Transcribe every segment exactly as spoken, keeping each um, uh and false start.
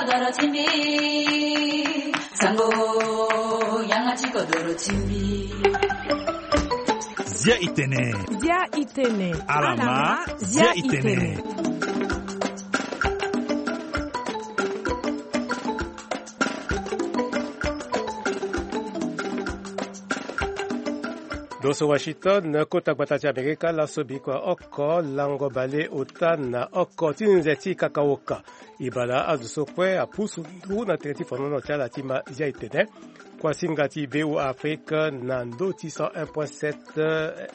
Doro ti mbi, sango, yanga ti kodoro ti mbi. Zia i tene. Zia i tene. Alama, zia i tene. Donso Washington, kota gbata ti Amerika, laso bikua oko lango bale ota na oko ti nze ti kakaoka. E bala azo so kue apusu nduru na tere ti fonono ti ala ti ma zia e tene. Kuasinga ti V O A Afrique na ndö ti cent un point sept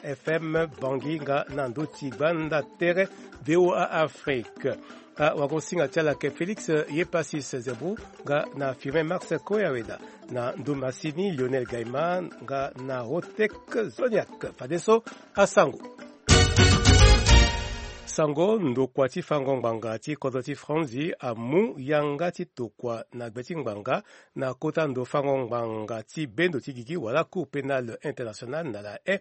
F M Bangui nga na ndö ti gbanda tere V O A Afrique. Awagosinga ti ala ayeke Félix Yepasis Zebou nga na Firmin Max Koyaweda, na ndö masini Lionel Gaiman nga na Rotek Zoniak. Fadeso asango. Sango, ndokua ti fango ngbanga ti kodro ti Franzi amu yanga ti tokua na gbe ti ngbanga na kota ndo fango ngbanga ti bendo ti gigi wala Cour pénale internationale na La Haye,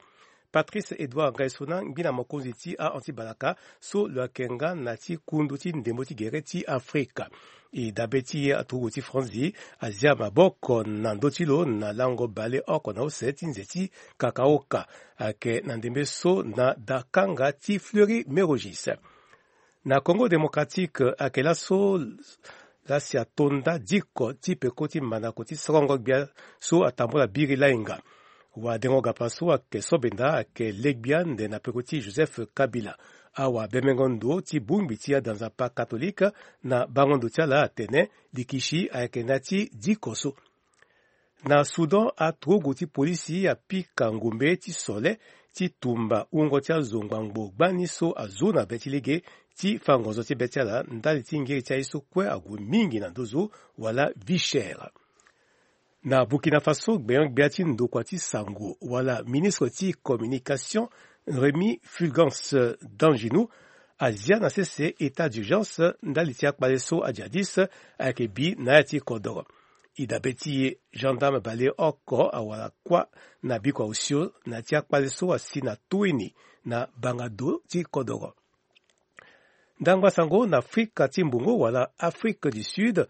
Patrice Edouard Ngaisona, ngbina mokonzi ti a-anti-balaka so lo yeke nga na ti kundu ti ndembo ti gere ti Afrika. E dabe ti aturugu ti Franzi azia maboko na ndö ti lo na lango bale oko na use ti nze ti kakaoka. Ayeke na ndembe so na dakanga ti Fleury Mérogis. Na Congo Démocratique, ayeke laso lasi atonda diko ti peko ti mandako ti sorongo gbia so atambula biri lainga. Wadengo gapa so ayeke so benda ayeke legbia nde na peko ti Joseph Kabila. Awabembengo ndo ti bongbi ti ada nzapa katolike na bango ndo ti ala atene likisi ayeke na ya ti diko so. Na Soudan, aturugu ti polisi apika ngombe ti sole ti tumba wungo ti azo ngbangbo gbani so azu na be ti lege ti fa ngonzo ti be ti ala ndali ti ngiri ti aye so kue ague mingi na nduzu wala vie chère. Na Burkina Faso, gbenyo-gbia ti ndokua ti sango wala ministre ti communication, Rémi Fulgence Danginou, azia na sese état d'urgence ndali ti akpale so ajihadiste ayeke bi na ya ti kodoro. E dabe ti e, gendarme baleoko awara kuâ na bikua osio na ya ti akpale so asi na tuini na bangado ti kodoro. Ndangba sango na Afrika ti mbongo wala Afrique du Sud,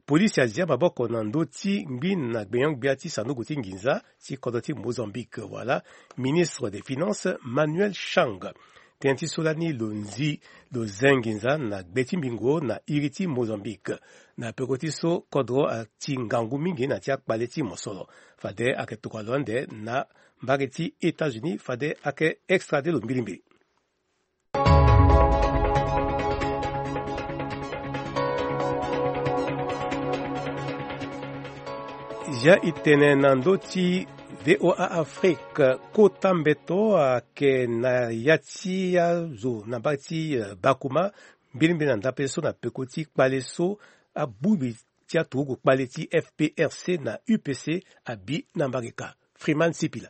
polisi azia maboko na ndö ti ngbina gbenyo-gbia ti sanduku ti nginza ti kodro ti Mozambique wala ministre des finances Manuel Chang. Tënë ti so lani lo nzi lo ze nginza na gbe ti mbingo na iri ti Mozambique. Na peko ti so kodro ati ngangu mingi na ya ti akpale ti mosoro. Fade ayeke tokua lo ande na mbage ti États-Unis fade ayeke extradé lo mbilimbili. Ya e tene na ndö ti V O A Afrique, kota mbeto ayeke na ya ti azo na mbage ti, eh, Bakuma, mbilimbili na ndapre so na peko ti kpale so abongbi ti aturugu kpale ti F P R C na U P C abi na mbage ka. Freeman Sipila.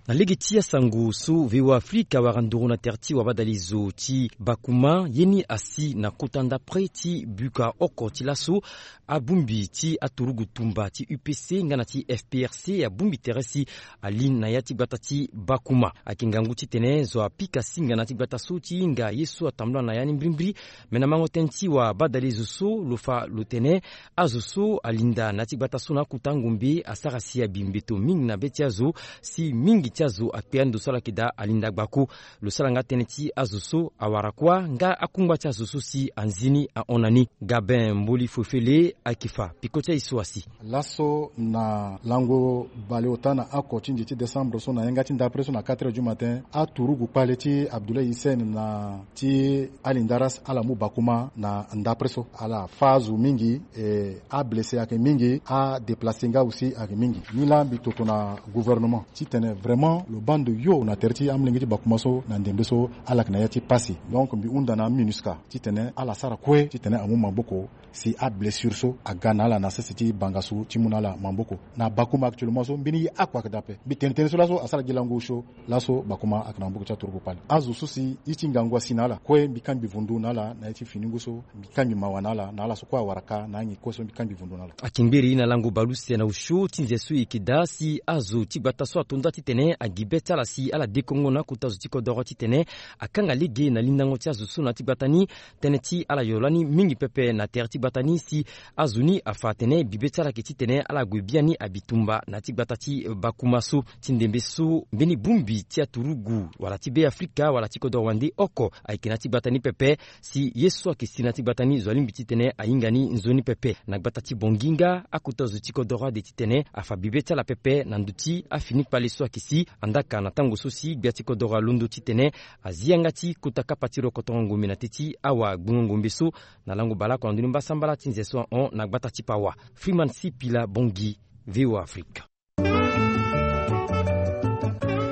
Na lege ti asango so V O A Afrika awara nduru na tere ti wabadalizo ti Bakuma, ye ni asi na kota ndapre ti buka oko ti laso abongbi ti aturugu tumba ti U P C nga na ti F P R C abongbi tere si ali na ya ti gbata ti Bakuma. Ayeke ngangu titene zo apika singa na ya ti gbata so ti hinga ye so atambula na ya ni mbirimbiri. Me na mango tënë ti wabadalizo so lo fa lo tene azo so alinda na ya ti gbata so na akota ngombe asara si abi mbeto mingi na be ti azo, si mingi ti azo akpe ando so ala yeke daa alinda gbako. Lo sara nga tënë ti azo so awara kuâ nga akungba ti azo so si anzi ni ahon na ni. Gabin Mboli Fofele ayeke fa peko ti aye so asi. Laso na lango baleota na oko ti nze ti décembre so na yanga ti ndapre so na quatre heures du matin, aturugu kpale ti Abdoulaye Hissène na ti Ali Ndaras ala mu Bakuma na ndapre so. Ala fâ azo mingi, e, ablessé ayeke mingi, adéplacé nga aussi ayeke mingi. Nilaa mbi toto na gouvernement titene vraiment lo baa ndo yo na tere ti amolenge ti Bakuma so na ndembe so ala yeke na ya ti pasi. Donc mbi hunda na MINUSCA titene ala sara kue titene amu maboko si ablessure so aga na ala na sese ti bangasu ti mu na ala maboko. Na Bakuma actuellement so mbeni ye oko ayeke daa ape. Mbi tene tënë so laso asara gi lango osio. Laso Bakuma ayeke na maboko ti aturugu kpale. Azo so si ye ti ngangu asi na ala kue mbi kangbi vundu na ala na ye ti finingu so. Mbi kangbi mawa na ala na ala so kue awara ka na angi kue so mbi kangbi vundu na ala. Ayeke ngbere ye na lango baleuse na osio ti nze so e yeke daa si azo ti gbata so ato nda titene agi be ti ala si ala dekongo na akota zo ti kodoro titene akanga lege na lindango ti azo so na ya ti gbata ni. Tënë ti ala yo lani mingi pepe na tere ti gbata ni si azo ni afa atene bibe ti ala ayeke titene ala gue biani abi tumba na ya ti gbata ti bakuma so ti ndembe so mbeni bongbi ti aturugu wala ti Beafrika wala ti kodro wande oko ayeke na ya ti gbata ni pepe. Si ye so ayeke si na ya ti gbata ni zo alingbi titene ahinga ni nzoni pepe. Na gbata ti Bongi nga akota zo ti kodro ade titene afa bibe ti ala pepe na ndö ti afini kpale so ayeke si. Andaa ka na tango so si gbia ti kodro alondo titene azi yanga ti kota kapa ti rokotongo ngombe na teti awa gbungo ngombe so. Na lango baleoko na ndö ni mbasambala ti nze so ahon na gbata ti Pawa. Freeman Sipila, Bongi, VOA Afrique.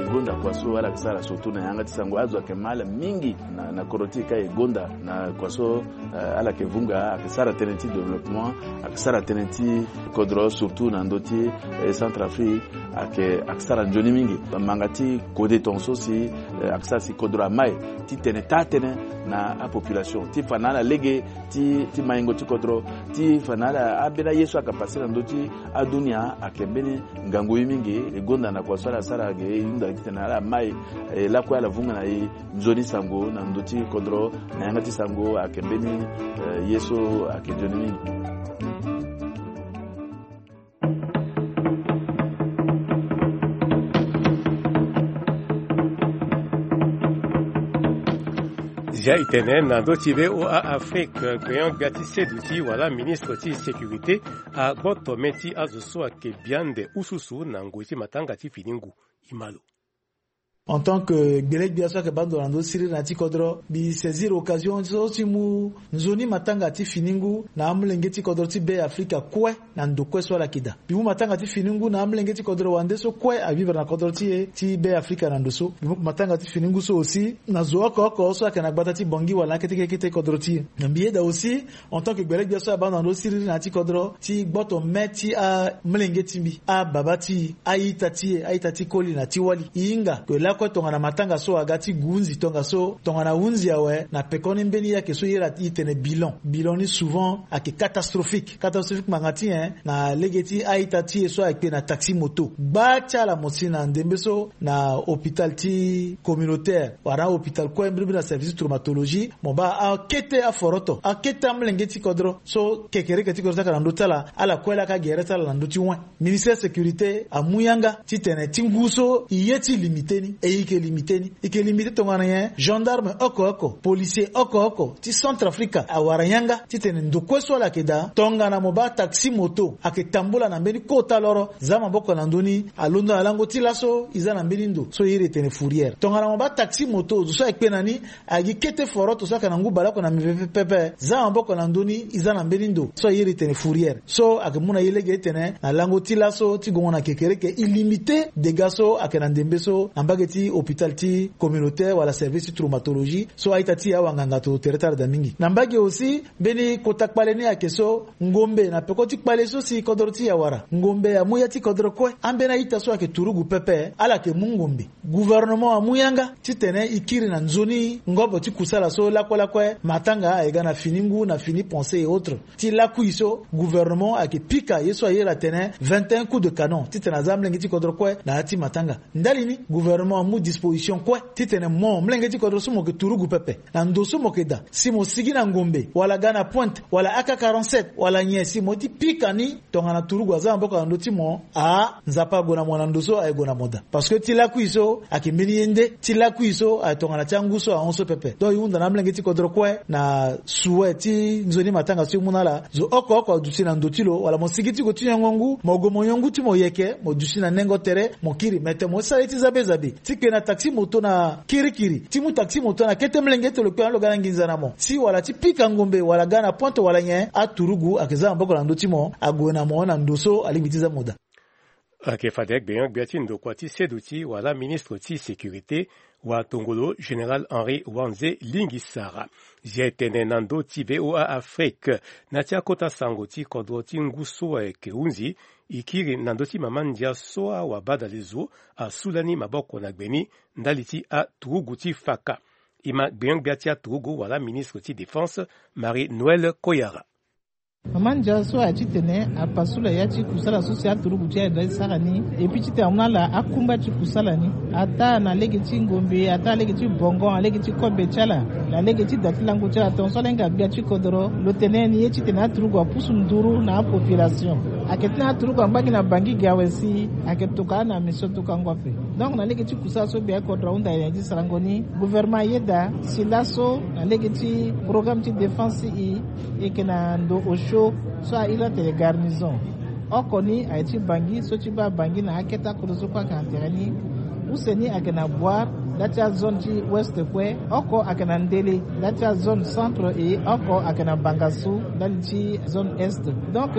E gonda kua so ala yeke sara surtout na yanga ti sango, azo ayeke ma ala mingi na, na kodro ti e ka e gonda na kua so, eh, ala yeke vunga, ayeke sara tënë ti développement, ayeke sara tënë ti kodro surtout na ndö ti, eh, Centrafrique, ayeke, ayeke sara nzoni mingi. Manga ti kode tongaso si, eh, ayeke sara si kodro ama e titene taa tënë na apopulation ti fa na ala lege ti, ti maingo ti kodro, ti fa na ala ambeni aye so ayeke pase na ndö ti adunia ayeke mbeni ngangu ye mingi. E gonda na kua so ala sara ayeke e hunda titene ala ma e, e lakue ala vunga na e nzoni sango na ndö ti kodro na yanga ti sango ayeke mbeni, eh, ye so ayeke nzoni mingi. Zia e tene na ndö ti VOA Afrique, gbenyo-gbia ti seduti wala ministre ti sécurité agboto me ti azo so ayeke bia ande ususu na ngoi ti matanga ti fini ngu. E ma lo. En tant que gbele-gbia so ayeke baa ndo na ndö ti siriri na ya ti kodro, mbi saisir occasion so ti mu nzoni matanga ti fini ngu na amolenge ti kodro ti Beafrika kue na ndo kue so ala yeke daa. Mbi mu matanga ti fini ngu na amolenge ti kodro wande so kue avivre na kodro ti e ti Beafrika na ndo so. Mbi mu matanga ti fini ngu so aussi na zo oko oko so ayeke na gbata ti Bongi wala na kete kete kodro ti e. Na mbi yeda aussi, en tant que gbele-gbia so abaa ndo na ndö ti siriri na ya ti kodro, ti gboto me ti amolenge ti mbi, ababa ti e, a-ita ti e, a-ita ti koli na ti wali. E hinga ke lakue tongana matanga so aga ti gue hunzi tongaso, tongana hunzi awe, na pekoni mbeni ye ayeke so e iri atene bilan. Bilan ni souvent ayeke catastrophique. Catastrophique ngbanga ti nyen? Na lege ti a-ita ti e so ayeke na taxi moto. Gba ti ala mo si na ndembe so na hôpital ti communautaire wala na hôpital kue mbirimbiri na service traumatologie, mo baa akete aforoto, akete amolenge ti kodro so kekereke ti kodro ti ayeke na ndö ti ala, ala kue laa ka gere ti ala na ndö ti wen. Ministère sécurité amu yanga titene ti ngu so e ye ti limité ni, e e yeke limité ni. E yeke limité tongana nyen? Gendarme oko oko, policier oko oko ti Centrafrique awara yanga titene ndo kue so ala yeke daa, tongana mo baa taxi moto ayeke tambula na mbeni kota loro, za maboko na ndö ni, alondo na lango ti laso e za na mbeni ndo so e iri etene fourrière. Tongana mo baa taxi moto, zo so ayeke kpe na ni, agi kete foroto so ayeke na ngu baleoko na mbi pepe, za maboko na ndö ni, e za na mbeni ndo so e iri etene fourrière. So ayeke mu na e lege titene na lango ti laso ti gongo na kekereke, e limité dégâts so ayeke na ndembe so na mbage ti hôpital ti communautaire wala service ti traumatologie so a-ita ti e awanganga to tere ti ala daa mingi. Na mbage aussi, mbeni kota kpale ni ayeke so, ngombe na peko ti kpale so si kodro ti e awara, ngombe amu ya ti kodro kue. Ambeni a-ita so ayeke turugu pepe, ala yeke mu ngombe. Gouvernement amu yanga titene e kiri na nzoni ngobo ti kusala so lakue lakue matanga aye ga na fini ngu, na fini pensée et autres. Ti lakui so, gouvernement ayeke pika ye so a iri atene vingt et un coups de canon titene aza amolenge ti kodro kue na ya ti matanga. Ndali ni, gouvernement amu disposition kue titene mo, molenge ti kodro so mo yeke turugu pepe, na ndo so mo yeke daa, si mo sigi na ngombe wala ga na pointe wala A K quarante-sept wala nyen, si mo ye ti pika ni, tongana turugu aza maboko na ndö ti mo, a, Nzapa ague na mo na ndo so aye gue na mo daa. Parce que ti lakui so ayeke mbeni ye nde, ti lakui so aye tongana ti angu so ahon so pepe. Donc e hunda na amolenge ti kodro kue na souhait ti nzoni matanga so e mu na ala, zo oko oko aduti na ndo ti lo, wala mo sigi ti gue ti nyongo ngu, mo gue mo nyon ngu ti mo yeke, mo duti na nengo tere, mo kiri. Me tene mo sara ye ti zabe zabe ti kpe na taxi moto na kirikiri, ti mu taxi moto na kete molenge ti lo kpe na lo ga na nginza na mo, si wala ti pika ngombe wala ga na pointe wala nyen, aturugu ayeke za maboko na ndö ti mo, ague na mo na ndo so alingbi ti za mo daa. Ayeke fade gbenyo-gbia ti ndokua ti seduti wala ministre ti sécurité, watongolo général Henri Wanze Lingisara. Zia e tene na ndö ti VOA Afrique, na ti akota sango ti kodro ti ngu so ayeke hunzi, e kiri na ndö ti mama ndia so awabadale zo asu lani maboko na gbe ni ndali ti aturugu ti faka. E ma gbenyo-gbia ti aturugu wala ministre ti défense, Marie Noëlle Koyara. Mama ndia so aye titene apasu la ya ti kusala so si aturugu ti aye da ti sara ni. Epui titene amu na ala akumba ti kusala ni, ataa na lege ti ngombe, ataa na lege ti bongo, na lege ti kobe ti ala, na lege ti da ti lango ti ala tongaso ala hinga gbia ti kodoro. Lo tene ni ye titene aturugu apusu nduru na apopulation. Ayeke ti na aturugu angba gi na bangi gi awe si ayeke tokua na mission tokango ape. Donc na lege ti kusala so gbia ti kodoro ahunda na ya ti sarango ni, gouvernement ayeda si laso na lege ti programme ti défense i, e yeke na ndo osio so ahiri atene garnison. Oko ni aye ti bangi so ti baa bangi na akete akodro so kue ayeke na tere ni. Use ni ayeke na boire nda ti azone ti ouest kue. Oko ayeke na ndele nda ti azone centre, e oko ayeke na bangasu ndali ti zone est. Donc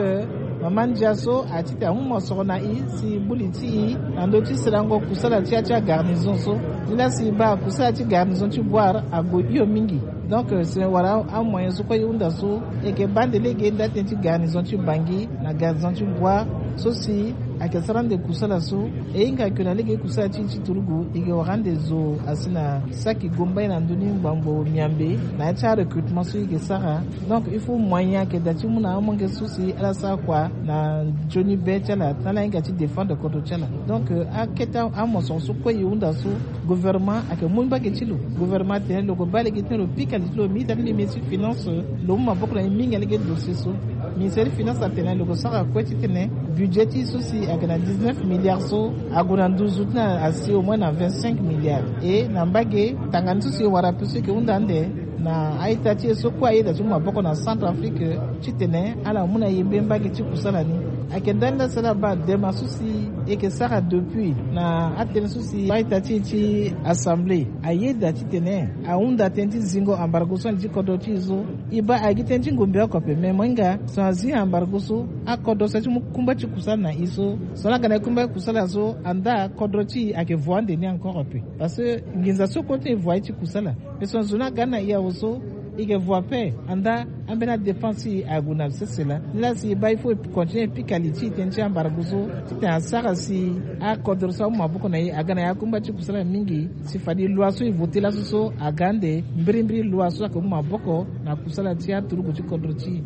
mama ndia so aye titene amu mosoro na i si buli ti i na ndö ti serango kusala ti ya ti agarnison so. Nilaa si i baa kusala ti garnison ti boire ague hio mingi. Donc si wara amoyen so kue i hunda so, e yeke baa nde lege nda tënë ti garnison ti bangi na garnison ti boire so si ayeke sara ande kusala so. E hinga ake na lege kusala ti i ti turugu, e yeke wara ande zo asi na saki gomba ye na ndö ni ngbangbo miambe na ya ti arecrutement so i yeke sara. Donc il faut moyen ayeke daa ti mu na amolenge so si ala sara kua na nzoni be ti ala na ala hinga ti défendre kodro ti ala. Donc akete amosoro so kue i hunda so, gouvernement ayeke mu mbage ti lo. Gouvernement atene lo yeke baa lege ti tene lo pika li ti lo, ministre ti ministre ti finance lo mu maboko na e mingi na lege ti dossier so. Ministre ti finance atene lo yeke sara kue titene budget ti so si ayeke na dix-neuf milliards so ague na nduzu ti na asi au moins na vingt-cinq milliards. E na mbage tanga ni so si e wara ape so e yeke hunda ande na a-ita ti e so kue ayeda ti mu maboko na Centrafrique titene ala mu na yembe mbage ti kusala ni. Ayeke ndani laa si ala baa dema so si e yeke sara depuis na atënë so si a-ita ti e ti assemblée ayeda titene ahunda tënë ti zingo embargo so na li ti kodro ti e so. E baa ayeke gi tënë ti ngombe oko ape, me mo hinga so azi embargo so akodro so aye ti mu kumba ti kusala na e so, so na aga na e kumba ti kusala so andaa kodro ti e ayeke vo ande ni encore ape. Parce que nginza so kue ti e vo aye ti kusala. Mais so na zo ni aga ni na e awe so, e yeke vo ape andaa ambeni adépense ti e ague na sese laa. Nilaa si e baa il faut e continue e pika li ti e tënë ti embargo so titene asara si akodro so amu maboko na e aga na e akumba ti kusala mingi. Si fade loi so e voté laso so aga ande mbirimbiri loi so ayeke mu maboko na kusala ti aturugu ti kodro ti e.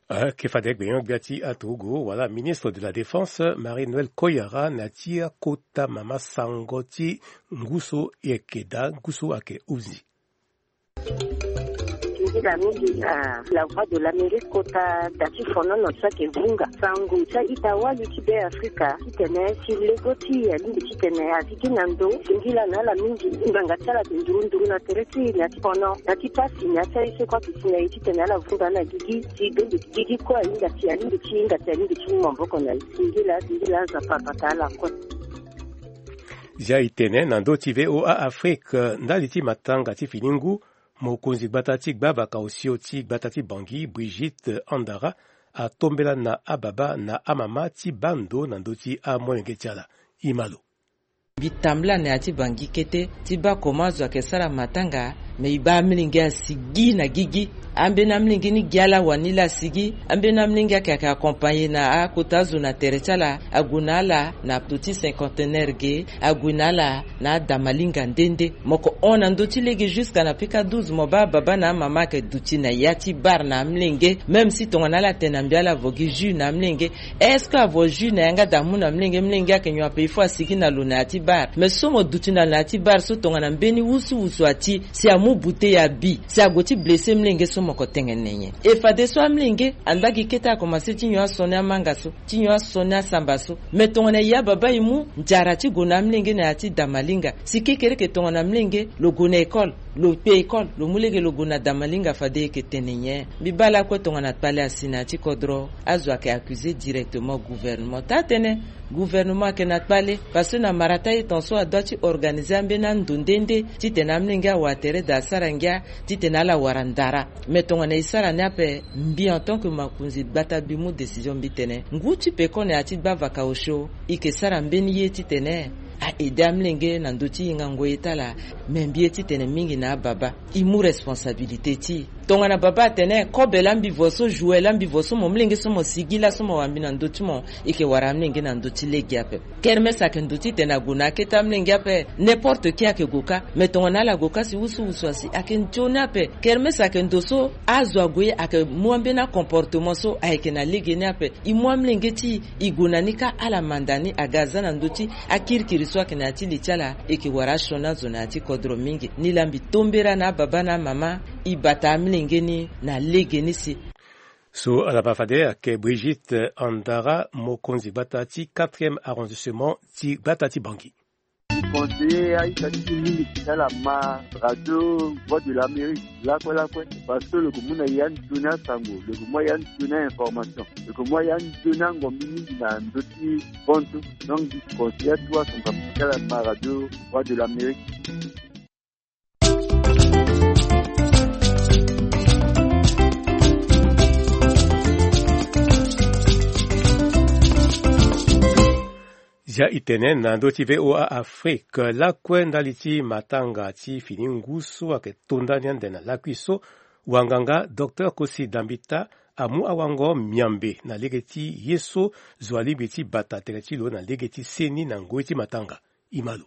Ayeke fade gbenyo-gbia ti aturugu wala ministre de la défense Marie Noël Koyara na ya ti akota mama sango ti ngu so e yeke daa ngu so ayeke huzi. Nzila mingi na La Voix de l'Amérique kota da ti fonono so ayeke vunga sango ti a-ita wali ti Be Afrika titene si lego ti e alingbi titene azi gi na ndo singila na ala mingi. Ngbanga ti ala ayeke nduru nduru na tere ti e na ya ti fono na ya ti pasi na ya ti aye so kue aduti na e titene ala vunga na gigi si donde gigi kue ahinga si alingbi ti hinga si alingbi ti mu maboko na e. Singila singila Nzapa abata ala kue. Zia e tene na ndö ti V O A Afrique ndali ti matanga ti fini ngu, mokonzi gbata ti gbavaka osio ti gbata ti Bangui Brigitte Andara atombela na ababa na amama ti baa ndo na ndö ti amolenge ti ala. E ma lo. Mbi tambula na ya ti Bangui kete ti baa comment azo ayeke sara matanga. Me e baa amolenge asigi na gigi. Ambeni amolenge ni gi ala wani laa asigi. Ambeni amolenge ayeke ayeke accompagné na akota azo na tere ti ala ague na ala na poto ti cinquantenaire ge, ague na ala na adamalinga nde nde. Mo yeke hon na ndö ti lege jusqu'à na pika douze mo baa ababa na amama ayeke duti na ya ti bar na amolenge. Même si tongana ala tene na mbi ala vo gi jus na amolenge, est-ce que avo jus na yanga da amu na mlenge? Mlenge ayeke nyon ape, il faut asigi na lo na ya ti bar. Mais so mo duti na lo na ya ti bar so tongana mbeni wusuwusu ati si amu bouteille abi si ague ti blessé mlenge so mo ko tengene nyen? E fadeso amlenge anda gi kete akomanse ti nyon asoni amanga so, ti nyon asoni asamba so. Mais tongana e ya baba e mu nzara ti gue na amlenge na ya ti damalinga. Si kekereke tongana mlenge lo gue na école, lo kpe école, lo mu lege lo gue na damalinga, fade e yeke tene nyen? Mbi baa lakue tongana kpale asi na ya ti kodro, azo ayeke accusé directement gouvernement. Taa-tënë, gouvernement ayeke na kpale, parce que na mara ti aye tongaso adua ti organisé ambeni ando nde nde titene amlenge awara tere da asara ngia titene ala wara ndara. Mais tongana e sara ni ape, mbi en tant que makonzi gbata mbi mu décision, mbi tene ngu ti peko na ya ti gbavaka osio, e yeke sara mbeni ye titene a aidé amlenge na ndö ti hingango ye ti ala. Me mbi ye titene mingi na ababa, e mu responsabilité ti e. Tongana baba atene kobe la mbi vo so, joue la mbi vo so, mo mlenge so mo sigi la so mo wara mbi na ndö ti mo, e ke wara amlenge na ndö ti lege ape. Kermes ayeke ndo titene ague na akete amlenge ape. N'importe qui ayeke gue kâ. Me tongana ala gue kâ si wusuwusu asi ayeke nzoni ape. Kermes ayeke ndo so azo ague ayeke mu ambeni acomportement so ayeke na lege ni ape. E mu amlenge ti e, e gue na ni kâ, ala manda ni aga aza na ndö ti akirikiri so ayeke na ya ti li ti ala. E ke wara asioni azo na ya ti kodro mingi. Nilaa mbi tombera na ababa na amama, e bata amlenge ni na lege ni si. So ala baa fade ayeke Brigitte Andara, mokonzi gbata ti quatrième arrondissement ti gbata ti Bangui. Conseiller aita ti mingi ti ala ma radio Voix de l'Amérique lakue lakue, parce que lo ke mu na ya nzoni asango, lo ke mu ya nzoni a-information, lo ke mu ya nzoni angombi mingi na ndö ti bantu. Donc mbi conseiller atu asango ti ala ma radio Voix de l'Amérique. Zia e tene na ndö ti V O A Afrique lakue ndali ti matanga ti fini ngu so ayeke to ndani ande na lakui so, wanganga Docteur Kosi Dambita amu awango miambe na lege ti ye so zo alingbi ti bata tere ti lo na lege ti seni na ngoi ti matanga. E ma lo.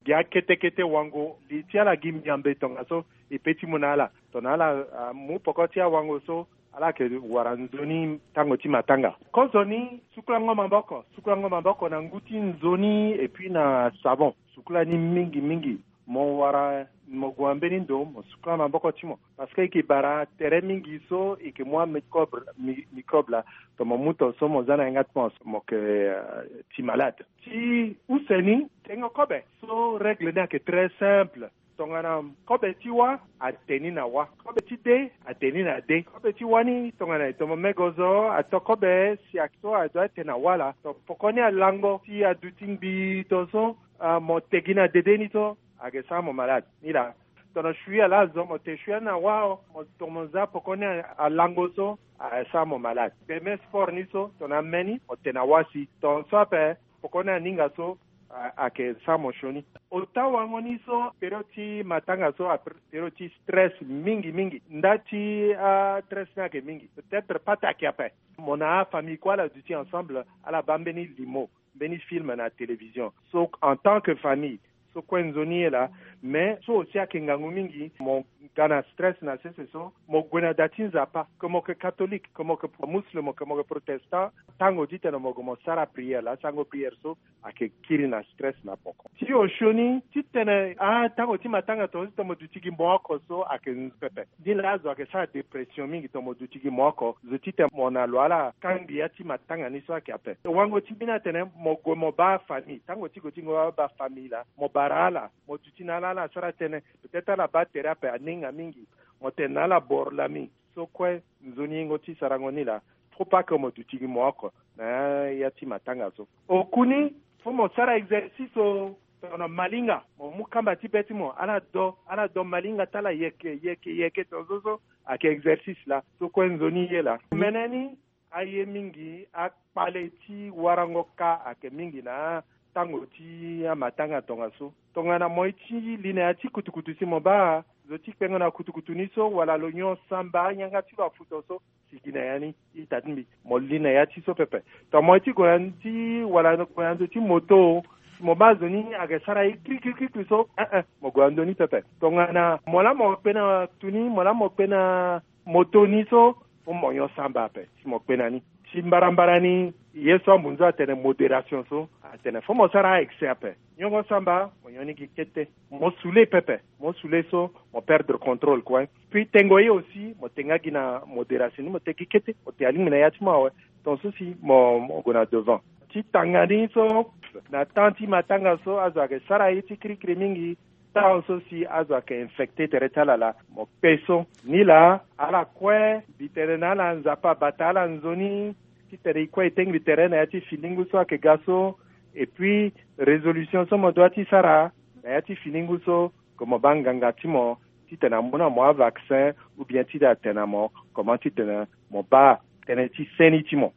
Gi akete kete wango li ti ala gi miambe tongaso e pe ti mu na ala. Tongana ala, ah, mu poko ti awango so, ala yeke wara nzoni tango ti matanga. Kozoni, sukulango maboko, sukulango maboko na ngu ti nzoni et puis na savon. Sukula ni mingi mingi. Mo wara, mo gue na mbeni ndo, mo sukula maboko ti mo. Parce que e yeke bara tere mingi so e yeke mu amicrobe, mi-, microbe laa, tongana mo mu tongaso mo za na yanga ti mo, mo yeke, euh, ti malade. Ti use ni, tengo kobe. So règle ni ayeke très simple. Tongana kobe ti wâ, ate ni na wâ. Kobe ti dé, ate ni na dé. Kobe ti wâ ni, tongana e tomo mego zo, ato kobe si ayeke so, adoit ate na wâ laa. Tongana poko ni alango, si aduti ngbii tongaso, ah, mo te gi na dede ni so, ayeke sara mo malade. Ni laa. Tongana sui ala azo, mo te sui ani na wâ, mo tomo za poko ni alango so, ayeke sara mo malade. Gbe me sport ni so, tongana me ni, mo te na wâ si. Tongaso ape, poko ni aninga so, a, ayeke sara mo sioni. Ota wango ni so, période ti matanga so, a, période ti stress mingi mingi. Nda ti, ah, stress ni ayeke mingi. Peut-être pas taki ape. Mo na afamille kue ala duti ensemble, ala baa mbeni limo, mbeni film na télévision. So, en tant que famille, so kue nzoni ye laa. Mais so aussi ayeke ngangu mingi, mo ga na stress na sese so, mo gue na da ti Nzapa, que mo yeke catholique, que mo yeke musulman, que mo yeke protestant, tango titene mo gue mo sara prière laa, sango prière so, ayeke kiri na stress na poko. Ti osioni titene, ah, tango ti matanga tongaso tongana mo duti gi mo oko so ayeke nzoni pepe. Ni laa azo ayeke sara dépression mingi tongana mo duti gi mo oko, zo titene mo na lo ala kangbi ya ti matanga ni so ayeke ape. Wango ti mbeni atene mo gue mo baa famille. Tango ti gue ti mo baa famille laa, mo bara ala, mo duti na ala, ala sara tënë. Peut-être ala baa tere ape aninga mingi. Mo tene na ala boro lami. So kue nzoni yengo ti sarango ni laa. Faut pas que mo duti gi mo oko na ya ti matanga so. Oku ni, faut mo sara exercice o. Tongana malinga, mo mu kamba ti be ti mo, ala do, ala do malinga ti ala yeke, yeke, yeke tongaso so, ayeke exercice laa. So kue nzoni ye laa. Mene ni, aye mingi, akpale ti warango ka ayeke mingi na tango ti amatanga tongaso. Tongana mo ye ti li na ya ti kutukutu si mo baa zo ti kpengo na kutukutu ni so, wala lo nyon samba, yanga ti lo afu tongaso, sigi na ya ni, ita ti mbi. Mo li na ya ti so pepe. Tongana mo ye ti gue na ndö ti, wala gue na ndö ti moto, si mo baa zo ni ayeke sara ye kri, kri, kri, kri so, eh, eh, mo gue na ndö ni pepe. Tongana mo laa mo kpe na tu ni, mo laa mo kpe na moto ni so, faut mo nyon samba ape si mo kpe na ni. Ti mbarambara ni, ye so ambunzu atene modération so, atene faut mo sara a-excès ape. Nyongo samba, mo nyon ni gi kete. Mo sule pepe. Mo sule so, mo perdre contrôle kue. Puis tengo ye aussi, mo te nga gi na modération ni, mo te gi kete, mo te alingbi na ya ti mo awe. Tongaso si mo, mo gue na devant. Ti tanga ni so, na temps ti matanga so, azo ayeke sara ye ti kirikiri mingi. Temps so si azo ayeke infecté tere ti ala laa, mo kpe so. Ni laa, ala kue, mbi tene na ala Nzapa abata ala nzoni, titene e kue e tengbi tere na ya ti finingu so ayeke ga so. Et puis, résolution so mo doit ti sara na ya ti finingu so, que mo baa nganga ti mo, titene amu na mo avaccin, ou bien titene atene na mo comment titene mo baa tënë ti seni ti mo.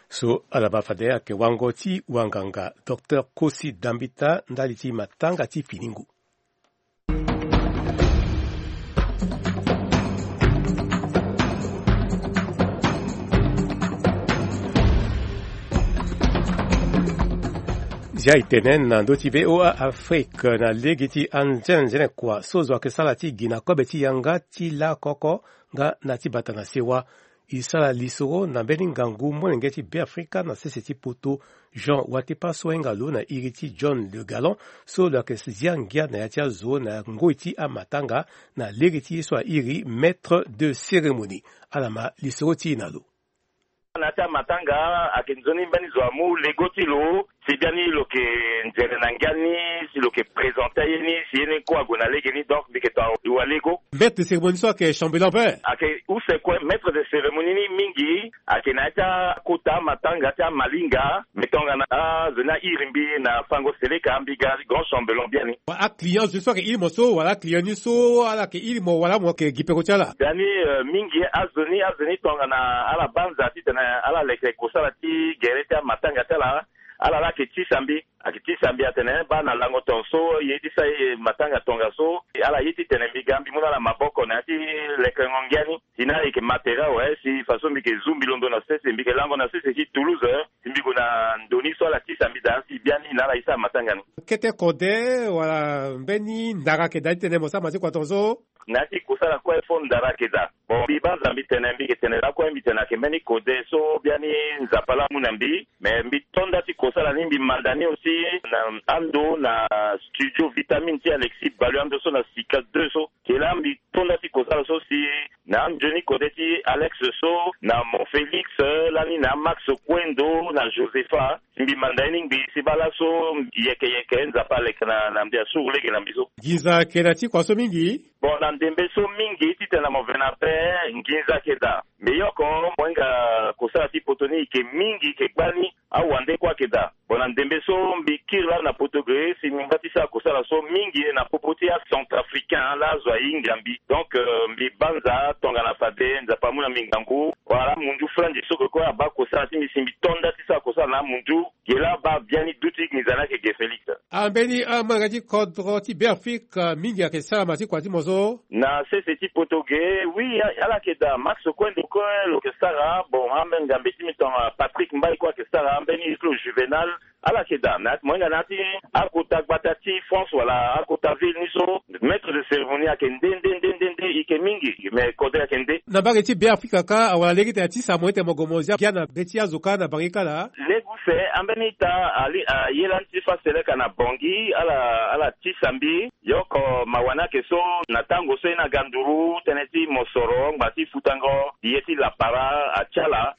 So ala baa fade ayeke wango ti wanganga, Docteur Kosi Dambita, ndali ti matanga ti finingu. Ya e tene na ndö ti V O A Afrique na lege ti anzenenzene kua so zo ayeke sara ti gi na kobe ti yanga ti lakoko nga na ti bata na sewa. E sara lisoro na mbeni ngangu molenge ti Beafrika na sese ti poto, Jean Watepa so ahinga lo na iri ti John Le Gallon, so lo yeke zia ngia na ya ti azo na ngoi ti amatanga na lege ti ye so airi maître de cérémonie. Ala ma lisoro ti e na lo. Na ya ti amatanga ayeke nzoni mbeni zo amu lego ti lo si biani lo yeke nzere na ngia ni, si lo yeke présente aye ni si ye ni kue ague na lege ni, donc mbi yeke tonga wali lego. Maître de cérémonie so ayeke chambellan ape? Ayeke use kue, maître de cérémonie ni mingi ayeke na ya ti akota amatanga ti amalinga. Mbi tongana azo ni airi mbi na fango seleka, mbi ga grand chambellan biani. Aclient zo so ayeke iri mo so wala aclient ni so ala yeke iri mo wala mo yeke gi peko ti ala? Biani, euh, mingi azo ni, azo ni tongana ala banza titene ala leke kosala ti gere ti amatanga ti ala, ala la ayeke tisa mbi. Ayeke tisa mbi atene baa na lango tongaso ye ti sara ye matanga tongaso, ala ye titene mbi ga mbi mu na ala maboko na ya ti lekengo ngia ni. Si na ala yeke matériel awe, si façon mbi yeke zu mbi londo na sese, mbi yeke lango na sese ti Toulouse, si mbi gue na ndo ni so ala tisa mbi daa si biani na ala ye sara matanga ni. Kete kode wala mbeni ndara ayeke daa titene mo sara masiku atongaso? Na ya ti kosala kue fo ndara ayeke daa. Bon, mbi banza mbi tene, mbi yeke tene lakue mbi tene ayeke mbeni kode so biani Nzapa laa amu na mbi. Me mbi to nda ti kosala ni, mbi manda ni aussi na ando na studio Vitamine ti Alexis Balu ando so na Sika deux so. Ke laa mbi to nda ti kosala so si na anzoni kode ti Alex so na Mon Félix, lani na Max Kwendo na Josepha. Mbi manda ye ni ngbii si baa laso yeke yeke Nzapa aleke na, na mbi asuru lege na mbi so. Nginza ayeke na ti kua so mingi. Bon, na ndembe so mingi titene na mo vena ape nginza ayeke daa. Mbi yoko mo hinga kosala ti poto ni yeke mingi yeke gbani. Awande kue ayeke daa. Bon, na ndembe so mbi kiri laa na poto ge si mbi ngba ti sara kosala so mingi na popo ti acentrafricain laa azo ahinga mbi. Donc, euh, mbi banza tongana fade Nzapa amu na mbi ngangu. Wala amunzu Franzi so ke kue abaa kosala ti mbi si mbi to nda ti sara kosala na amunzu. Ge laa abaa biani duti nginza ni ayeke ge Félix. Ambeni amolenge ti kodro ti Beafrika mingi ayeke sara ma ti kua ti mo so? Na sese ti poto ge, oui, a-, ala yeke daa. Max Kwendo kue lo yeke sara. Bon, ambeni ngambe ti mbi tongana Patrick Mbaye kue ayeke sara. Ambeni Islo Juvenal, ala yeke daa. Na ya ti mo hinga na ya ti akota gbata ti France wala akota ville ni so, maître de cérémonie ayeke nde, nde, nde, nde, nde, e yeke mingi. Me kode ayeke nde. Na mbage ti Beafrika kâ, awara lege ti tene atisa mo ete mo gue mo zia ngia na be ti azo kâ na bangi kâ laa? Lege use, ambeni ita ali, aye lani ti fâ seleka na Bangui, ala, ala tisa mbi. Yoko mawa ni ayeke so, na tango so ye ni aga nduru, tënë ti mosoro, ngba ti futango, ye ti lapara, atia ala.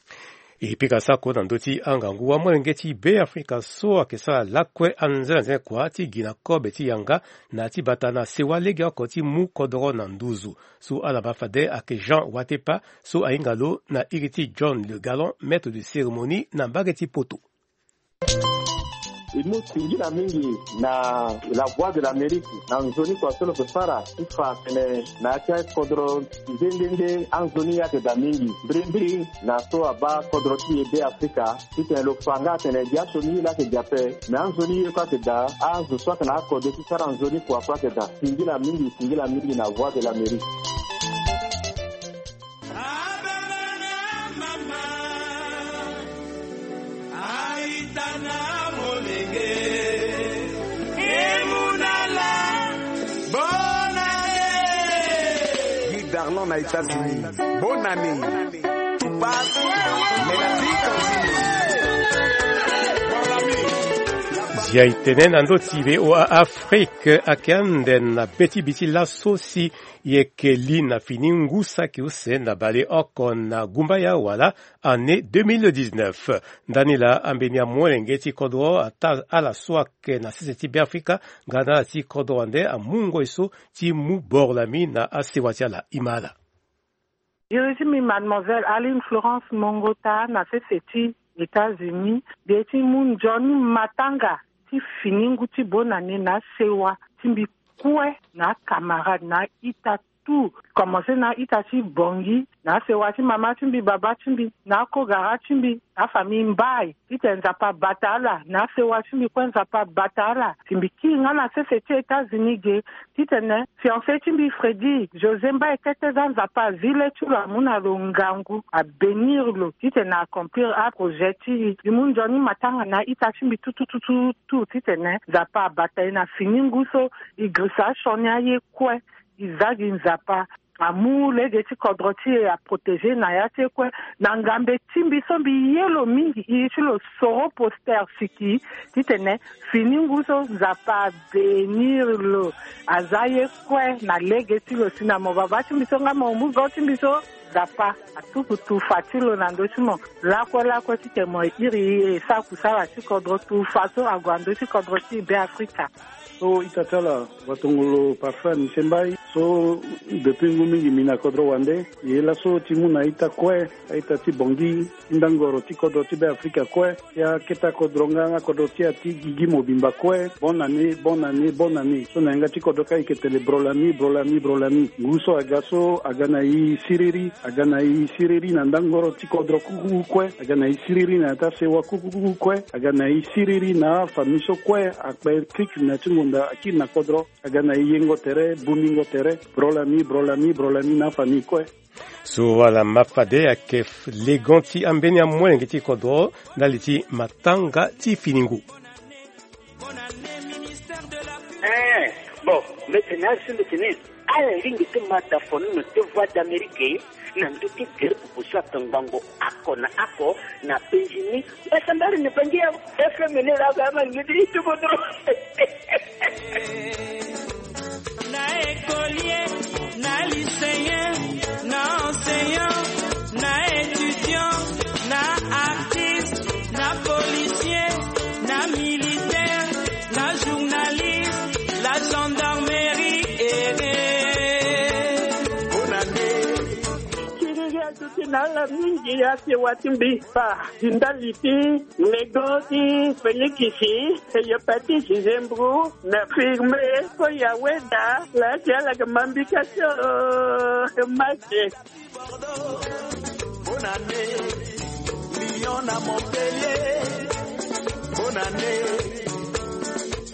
E pika sako na ndö ti angangu amolenge ti Beafrika so ayeke sara lakue anzenenzene kua ti gi na kobe ti yanga na ti bata na sewa legeoko ti mu kodoro na nduzu. So ala ma fade ayeke Jean Watepa so ahinga lo na iri ti John Le Gallon, maître de cérémonie na mbage ti poto. E mu singila mingi na La Voix de l'Amérique na nzoni kua so lo yeke sara ti fa atene na ya ti akodro nde nde nde anzoni ye ayeke daa mingi. Mbirimbiri na so abaa kodro ti e Beafrika titene lo fa nga atene gi asioni ye laa ayeke gi ape. Me anzoni ye kue ayeke daa, azo so ayeke na akode ti sara nzoni kua kue ayeke daa. Singila mingi, singila mingi na Voix de l'Amérique. Guy Darlon na États-Unis. Bonne année. Tout passe, mais la vie continue. Zia e tene na ndö ti V O A Afrique ayeke ande na be ti bi ti laso si e yeke li na fini ngu saki use na baleoko na gumbaya wala année deux mille dix-neuf. Ndani laa ambeni amolenge ti kodro ataa ala so ayeke na sese ti Beafrika nga na ala ti kodro wande amu ngoi so ti mu boro lami na asewa ti ala. E ma ala. Iri ti mbi mademoiselle Aline Florence Mongota na sese ti États-Unis. Mbi ye ti mu nzoni matanga ti fini ngu ti bonane na asewa ti mbi kue na acamarade na a-ita tout. Komanse na ita ti Bangui, na asewa ti mama ti mbi, baba ti mbi, na akogara ti mbi, afamille Mbaye. Titene Nzapa abata ala, na asewa ti mbi kue Nzapa abata ala. Si mbi kiri nga na sese ti États-Unis ge, titene fiancé ti mbi Freddy José Mbaye kete za Nzapa azi le ti lo, amu na lo ngangu, abénir lo. Titene accomplir aprojet ti e. E mu nzoni matanga na ita ti mbi tout, tout, tout, tout, tout. Titene Nzapa abata e na fini ngu so e girisa asioni aye kue. E za gi Nzapa, amu lege ti kodro ti e, aprotégé na ya ti e kue. Na ngambe ti mbi so mbi ye lo mingi, e ye ti lo soro poster siki, titene fini ngu so Nzapa abénir lo, aza ye kue na lege ti lo. Si na mo baba ti mbi so nga mo mu go ti mbi so, Nzapa atuku tufa ti lo na ndö ti mo. Lakue lakue titene mo iri e sara kusala ti kodro, tufa so ague na ndö ti kodro ti Beafrika. So ita ti ala watongolo Parfait Misembai, so depuis ngu mingi mbi na kodro wande. E ye laso ti mu na ita kue, a-ita ti Bangui, ti ndangoro ti kodro ti Beafrika kue, ti akete akodro nga akodro ti e ti gigi mobimba kue. Bonne année, bonne année, bonne année. So na yanga ti kodro ka e yeke tene brolami, brolami, brolami. Ngu so aga so aga na e siriri, aga na e siriri na ndangoro ti kodro kuku kue, aga na e siriri na ya ti asewa kuku kue, aga na e siriri na afamille so kue akpe krik na ti ngonda akiri na kodro, aga na e yengo tere, bumingo tere, brolami, brolami, brolami na afamille kue. So wala ma fade ayeke legon ti ambeni amolenge ti kodro ndali ti matanga ti fini ngu. Eh, bon, mbi tene asi mbi tene ala lingbi ti ma da fonono ti Voix d'Amérique na ndö ti gere pupu so atongbango oko na oko na penzi ni. Mbasambari ni bangi ya F M ni la ga ma ni di tuko dro. Na écolier, na lycéen, na enseignant, na étudiant, na artiste, na policier, na militaire, na journaliste, la gendarmerie et... Bonne année. Siriri aduti na ala mingi, asewa ti mbi pa di ndali ti legon ti Félix, e yo pa ti Gisembro, na Firme, ko ya weda la ti ala ga ma mbi ka so. Mache. Bonne année, Lyon na Montpellier. Bonne année.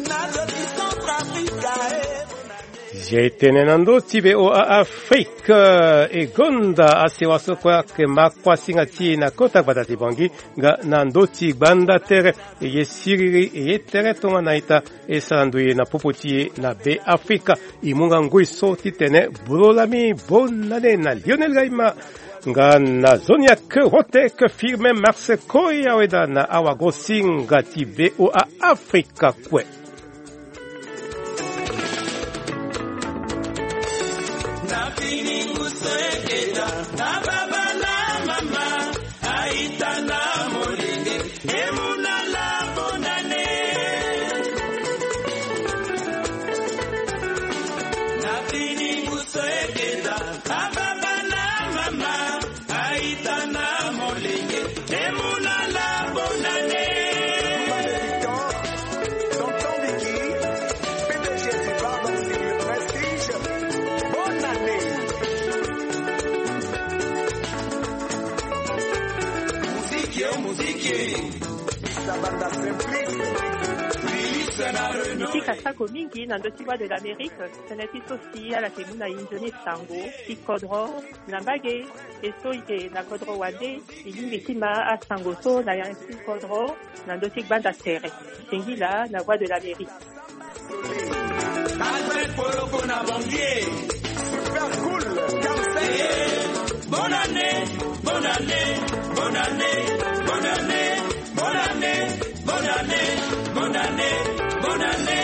Na zo ti Centrafrique, eh. Bonne année. Zia e tene na ndö ti V O A Afrique, eh, e gonda asewa so kue ayeke ma kuasinga ti e na kota gbata ti Bangui, nga na ndö ti gbanda tere, e ye siriri, e ye tere tongana ita, e sara ndoye na popo ti e na Beafrika. E mu nga ngoi so titene brolami, bonne année na Lionel Gaima. Nga na zoni ake hote ke Firmin Marseille Koya weda na awagosinga ti V O A Afrika kue. Na fini ngu so e keda, na baba na mama, a-ita na molenge, e mu na ala bonne année. Na fini ngu so e keda, na baba na mama, a-ita na molenge, e mu na ala bonne année. Tonton Vicky, P D G du Pardon Style Prestige, bonne année. Muziki, oh, muziki. Sabanda Simplice. Miziki asako mingi na ndö ti Voix de l'Amérique. Tënë ti so si ala yeke mu na e nzoni sango ti kodro na mbage. E so e yeke na kodro wande, e lingbi ti ma asango so na ya ti kodro na ndö ti gbanda tere. Singila na Voix de l'Amérique. Albert Poloko na Bongie. Super cool. Bonne année, bonne année, bonne année, bonne année, bonne année, bonne année, bonne année, bonne année.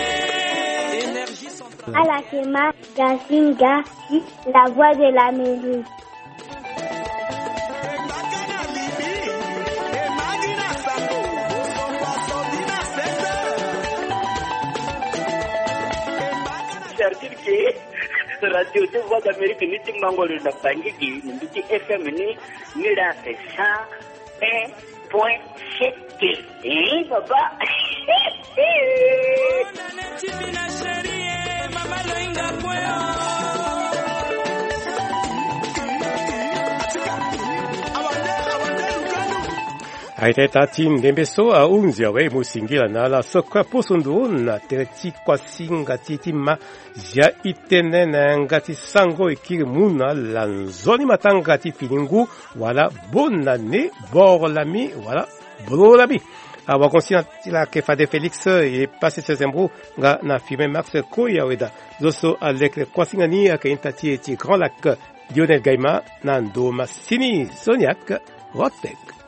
Énergie centrale. Ala yeke ma Gazinga, la Voix de l'Amérique. Certitude que Radio deux Voix d'Amérique ni ti mango lo na Bangui gi, ni mbi ti F M ni, ni la c'est cent un point sept. Eh, papa. Aita ita ti ndembe so ahunzi awe e mu singila na ala so kue aposo ndo na tere ti kuasinga ti ti ma zia itene na yanga ti sango e kiri mu na ala nzoni matanga ti fini ngu wala bonne année boro lami wala bolo lami. Awagon si na ti la ke fade Félix e pase sese mbu nga na firme Max Koya weda zo so alekere kuasinga ni ayeke ita ti e ti Grand Lac. Lionel Gaima na ndo masini Soniac Rotek.